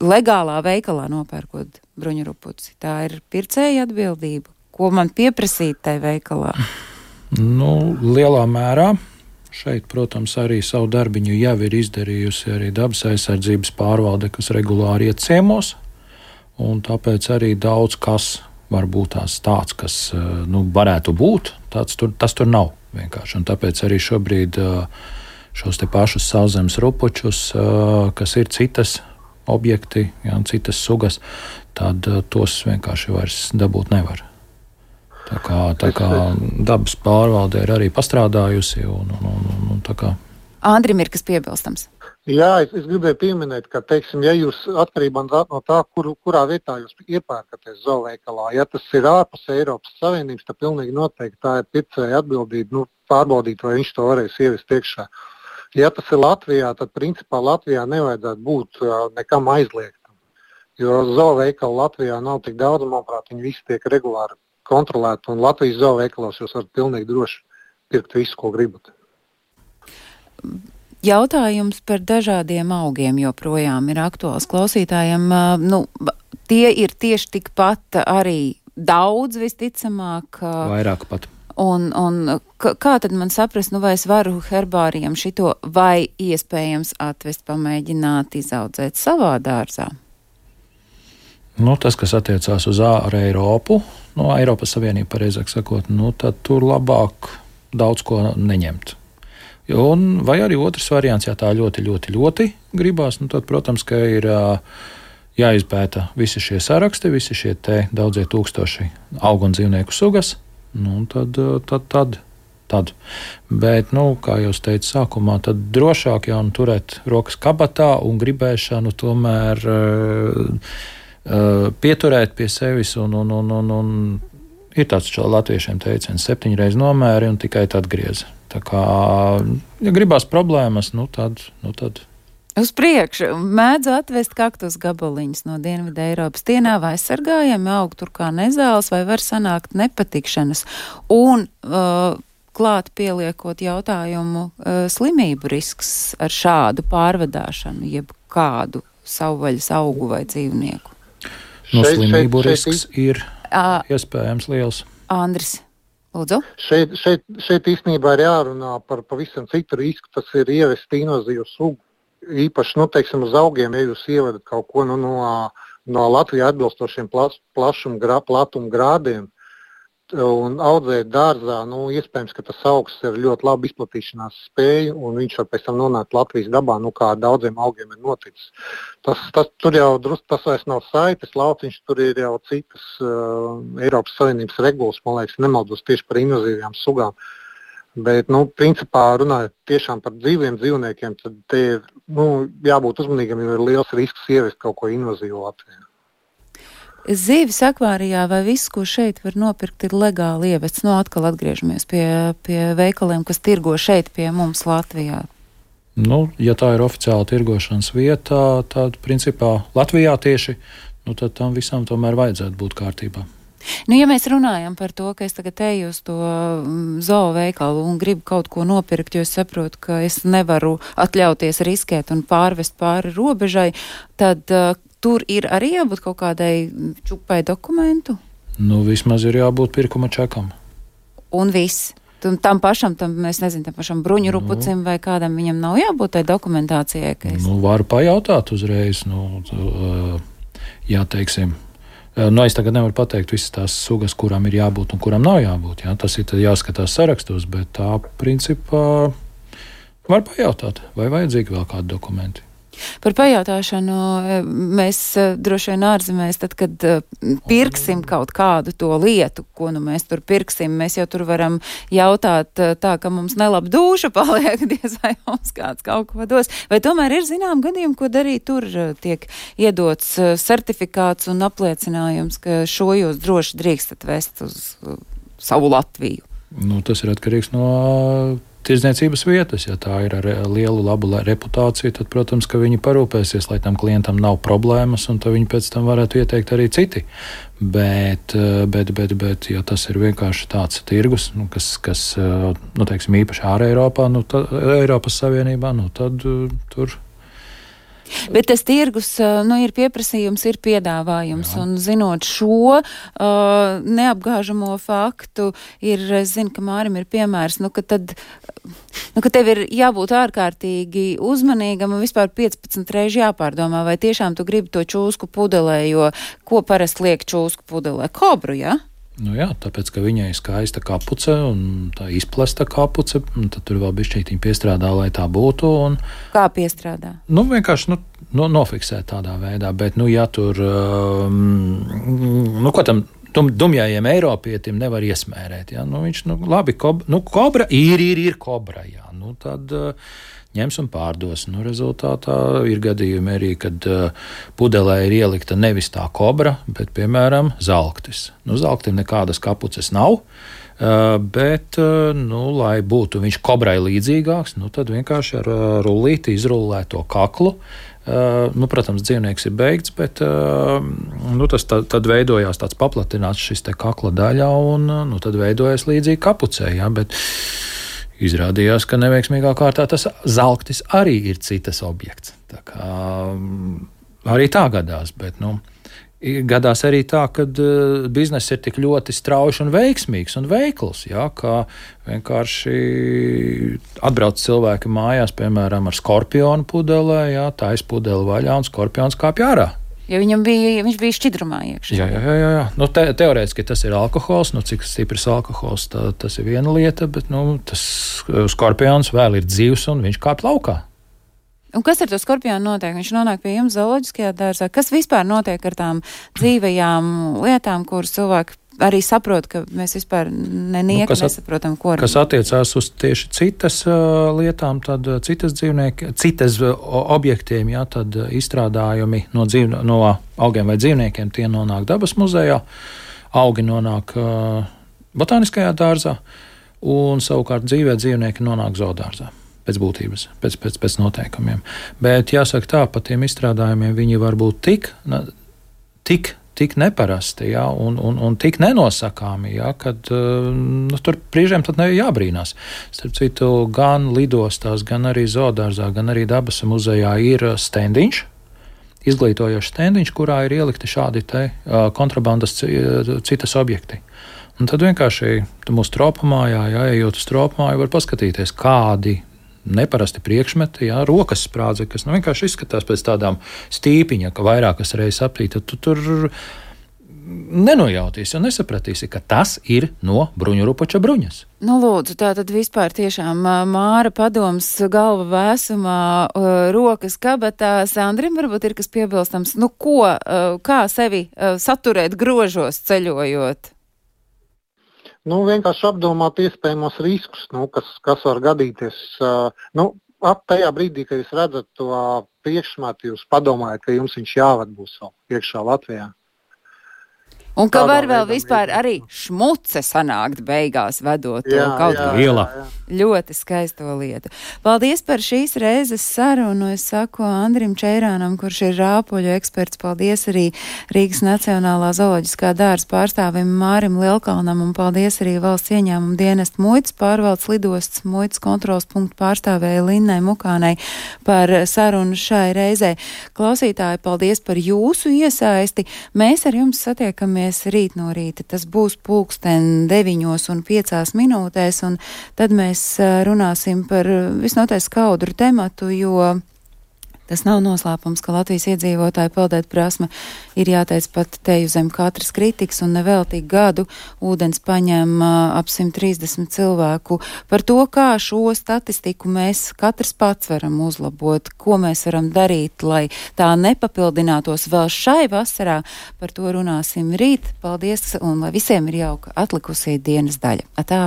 legālā veikalā nopērkot bruņurupuci. Tā ir pircēja atbildība. Ko man pieprasīt tai veikalā? Nu, lielā mērā. Šeit, protams, arī savu darbiņu jau ir izdarījusi arī dabas aizsardzības pārvalde, kas regulāri iet ciemos, un tāpēc arī daudz kas var būt tās tāds, kas, nu, varētu būt, tāds tur, tas tur nav vienkārši, un tāpēc arī šobrīd šos te pašus sauszemes rupučus, kas ir citas objekti, jā, citas sugas, tad tos vienkārši vairs dabūt nevar. Tā kā, tā kā dabas pārvalde ir arī pastrādājusi. Un, un, un, un, tā kā. Andrim ir kas piebilstams. Jā, es, es gribēju pieminēt, ka, teiksim, ja jūs atkarībā no tā, kur, kurā vietā jūs iepērkaties zooveikalā, ja tas ir ārpus Eiropas Savienības, tad pilnīgi noteikti tā ir pircēja atbildība, nu, pārbaudīt, vai viņš to varēs ievest iekšā. Ja tas ir Latvijā, tad principā Latvijā nevajadzētu būt uh, nekam aizliegtam, jo zooveikala Latvijā nav tik daudz, manuprāt, viņi visi tiek regulāri kontrolēti, un Latvijas zooveikalos jūs varat pilnīgi droši pirkt visu, ko gribat. Jautājums par dažādiem augiem joprojām ir aktuāls klausītājiem. Nu, tie ir tieši tikpat arī daudz, visticamāk. Vairāk pat. Un, un kā tad man saprast, nu vai es varu herbārijam šito vai iespējams atvest, pamēģināt izaudzēt savā dārzā? Nu, tas, kas attiecās uz ārā Eiropu, no Eiropas Savienību, pareizāk sakot, nu, tad tur labāk daudz ko neņemt. Un, vai arī otrs variants, ja tā ļoti, ļoti, ļoti gribās, nu tad, protams, ka ir jāizpēta visi šie saraksti, visi šie te daudzie tūkstoši augu un dzīvnieku sugas, nu tad, tad, tad, tad. Bet, nu, kā jau es teicu sākumā, tad drošāk jau nu turēt rokas kabatā un gribēšanu tomēr uh, uh, pieturēt pie sevis un, un, un, un, un ir tāds čo latviešiem teiciens, septiņreiz nomēri un tikai tad griez. Tā kā, ja gribās problēmas, nu tad, nu tad. Uz priekšu mēdzu atvest kaktus gabaliņus no Dienvidu Eiropas. Tie nav aizsargājami, aug tur kā nezāles, vai var sanākt nepatikšanas. Un uh, klāt pieliekot jautājumu uh, slimību risks ar šādu pārvadāšanu, jeb kādu savvaļas augu vai dzīvnieku. No šeit, slimību šeit, risks šeit, ir uh, iespējams liels. Andris. Lūdzu. Šeit, šeit, šeit īstenībā ir jārunā par pavisam citu risku, tas ir ievest invazīvu sugu. Īpaši, nu, teiksim, uz augiem, ja jūs ievedat kaut ko nu, no, no Latvijā atbilstošiem plas, plašuma, grā, platuma grādiem un audzēt dārzā, nu, iespējams, ka tas augs ir ļoti labi izplatīšanās spēju un viņš var pēc tam nonākt Latvijas dabā, nu, kā daudziem augiem ir noticis. Tas, tas, tur jau drusku, tas vairs nav saites lauciņš, tur ir jau citas uh, Eiropas Savienības regulas, man liekas, nemaldos tieši par invazīvajām sugām. Bet, nu, principā runājot tiešām par dzīviem dzīvniekiem, tad te ir, nu, jābūt uzmanīgam, jo ir liels risks ievest kaut ko invazīvu Latvijā. Zīves akvārijā vai viss, ko šeit var nopirkt, ir legāli ievests? Nu, atkal atgriežamies pie, pie veikaliem, kas tirgo šeit pie mums Latvijā. Nu, ja tā ir oficiāla tirgošanas vietā, tad, principā, Latvijā tieši, nu, tad tam visam tomēr vajadzētu būt kārtībā. Nu, ja mēs runājam par to, ka es tagad eju uz to zooveikalu un gribu kaut ko nopirkt, jo es saprotu, ka es nevaru atļauties riskēt un pārvest pāri robežai, tad uh, tur ir arī jābūt kaut kādai čupai dokumentu? Nu, vismaz ir jābūt pirkuma čekam. Un viss? Tam pašam, tam, es nezinu, tam pašam bruņu rupucim nu, vai kādam viņam nav jābūt tai dokumentācijai? Es... Nu, varu pajautāt uzreiz, nu, jā, teiksim. Nu, es tagad nevaru pateikt visas tās sugas, kurām ir jābūt un kurām nav jābūt. Jā. Tas ir jāskatās sarakstos, bet tā principā var pajautāt, vai vajadzīgi vēl kādi dokumenti. Par pajautāšanu mēs droši vien ārzemēs, tad, kad pirksim kaut kādu to lietu, ko nu mēs tur pirksim, mēs jau tur varam jautāt tā, ka mums nelaba dūša paliek, diez vai mums kāds kaut ko dos. Vai tomēr ir zinām gadījumi, ko darīt tur tiek iedots certifikāts un apliecinājums, ka šo jūs droši drīkstat vest uz savu Latviju? Nu, tas ir atkarīgs no tirdzniecības vietas. Ja tā ir ar lielu labu reputāciju, tad, protams, ka viņi parūpēsies, lai tam klientam nav problēmas, un tad viņi pēc tam varētu ieteikt arī citi. Bet, bet, bet, bet ja tas ir vienkārši tāds tirgus, nu, kas, kas nu, teiksim, īpaši ārā Eiropā, nu, tad, Eiropas Savienībā, nu, tad tur. Bet tas tirgus, nu, ir pieprasījums, ir piedāvājums, jā. Un zinot šo uh, neapgāžamo faktu, ir, es zinu, ka Mārim ir piemērs, nu, ka tad, nu, ka tev ir jābūt ārkārtīgi uzmanīgam un vispār piecpadsmit reizi jāpārdomā, vai tiešām tu gribi to čūsku pudelē, jo ko parasti liek čūsku pudelē? Kobru, jā? Ja? Nu jā, tāpēc, ka viņai ir skaista kapuce un tā izplesta kapuce, un tad tur vēl bišķītiņi piestrādā, lai tā būtu. Un, Kā piestrādā? Nu, vienkārši nu, no, nofiksēt tādā veidā, bet, nu, ja tur, um, nu, ko tam dum, dumjājiem Eiropietim nevar iesmērēt, ja? Nu, viņš, nu, labi, kob, nu, kobra ir, ir, ir kobra, jā, nu, tad uh, ņems un pārdos. Nu, rezultātā ir gadījumi arī, kad uh, pudelē ir ielikta nevis tā kobra, bet, piemēram, zalktis. Nu, zalktim nekādas kapuces nav, uh, bet, uh, nu, lai būtu viņš kobrai līdzīgāks, nu, tad vienkārši ar uh, rullīti izrullē to kaklu. Uh, nu, protams, dzīvnieks ir beigts, bet uh, nu, tas tad, tad veidojās tāds paplatināts šis te kakla daļā, un uh, nu, tad veidojas līdzīgi kapucē, jā, bet izrādījās, ka neveiksmīgā kārtā tas zalktis arī ir citas objekts. Tā kā arī tā gadās, bet, nu, gadās arī tā, ka uh, bizness ir tik ļoti strauji un veiksmīgs un veikls, jā, ka vienkārši atbrauc cilvēki mājās, piemēram, ar skorpionu pudelē, jā, tais pudeli vaļā un skorpions kāpj ārā. Jo viņam bija, viņš bija šķidrumā iekšā. Jā, jā, jā. jā. Nu, te, teorētiski tas ir alkohols, nu, cik stiprs alkohols, tā, tas ir viena lieta, bet nu, tas skorpions vēl ir dzīvs un viņš kāp laukā. Un kas ar to skorpionu notiek? Viņš nonāk pie jums zooloģiskajā dārzā. Kas vispār notiek ar tām dzīvajām lietām, kuras cilvēki arī saprot, ka mēs vispār nenieka nu, nesaprotam, ko ar... Kas attiecās uz tieši citas uh, lietām, tad uh, citas dzīvnieki, citas uh, objektiem, jā, tad uh, izstrādājumi no, dzīv, no augiem vai dzīvniekiem, tie nonāk dabas muzejā, augi nonāk uh, botāniskajā dārzā, un savukārt dzīvē dzīvnieki nonāk zoodārzā. Pēc būtības, pēc, pēc, pēc noteikumiem. Bet jāsaka tā, par tiem izstrādājumiem viņi var būt tik, tik tik neparasti, jā, un, un, un tik nenosakāmi, jā, kad nu, tur brīžiem tad jābrīnās. Starp citu, gan lidostās, gan arī zoodārzā, gan arī dabas muzejā ir stendiņš, izglītojošs stendiņš, kurā ir ielikti šādi te kontrabandas citas objekti. Un tad vienkārši mūsu tropamājā, jā, ejot uz tropamāju, var paskatīties, kādi neparasti priekšmeti, jā, rokas sprādze, kas nu, vienkārši izskatās pēc tādām stīpiņa, ka vairākas reizes aptīt, tad tu tur nenojautīsi un nesapratīsi, ka tas ir no bruņurupuča bruņas. Nu, lūdzu, tā tad vispār tiešām Māra padoms galva vēsumā, rokas kabatā. Sandrim varbūt ir kas piebilstams. Nu, ko, kā sevi saturēt grožos ceļojot? Nu, vienkārši apdomāt iespējamos riskus, nu, kas, kas var gadīties. Uh, nu, ap tajā brīdī, kad jūs redzat to priekšmetu, jūs padomājat, ka jums viņš jāvad būs vēl iekšā Latvijā. Un ka var vēl vispār arī šmuce sanākt beigās, vedot to kaut ko. Ielā. Ļoti skaisto lietu. Paldies par šīs reizes sarunu. Es saku Andrim Čeirānam, kurš ir rāpuļu eksperts. Paldies arī Rīgas Nacionālā zooloģiskā dārza pārstāvim Mārim Lielkalnam un paldies arī valsts ieņēmuma dienesta muitas pārvaldes lidostas muitas kontrols punktu pārstāvēja Linnai Mukānai par sarunu šai reizē. Klausītāji, paldies par jūsu iesaisti. Mēs ar jums satiekamies rīt no rīta. Tas būs pulksten deviņos un piecās minūtēs, un tad mēs runāsim par visnotaļ skaudru tematu, jo tas nav noslēpums, ka Latvijas iedzīvotāju peldēt prasme ir jāteic pat teju zem katras kritikas, un neveltīgi gadu ūdens paņem ap simt trīsdesmit cilvēku. Par to, kā šo statistiku mēs katrs pats varam uzlabot, ko mēs varam darīt, lai tā nepapildinātos vēl šai vasarā, par to runāsim rīt. Paldies, un lai visiem ir jauka atlikusī dienas daļa. Atā!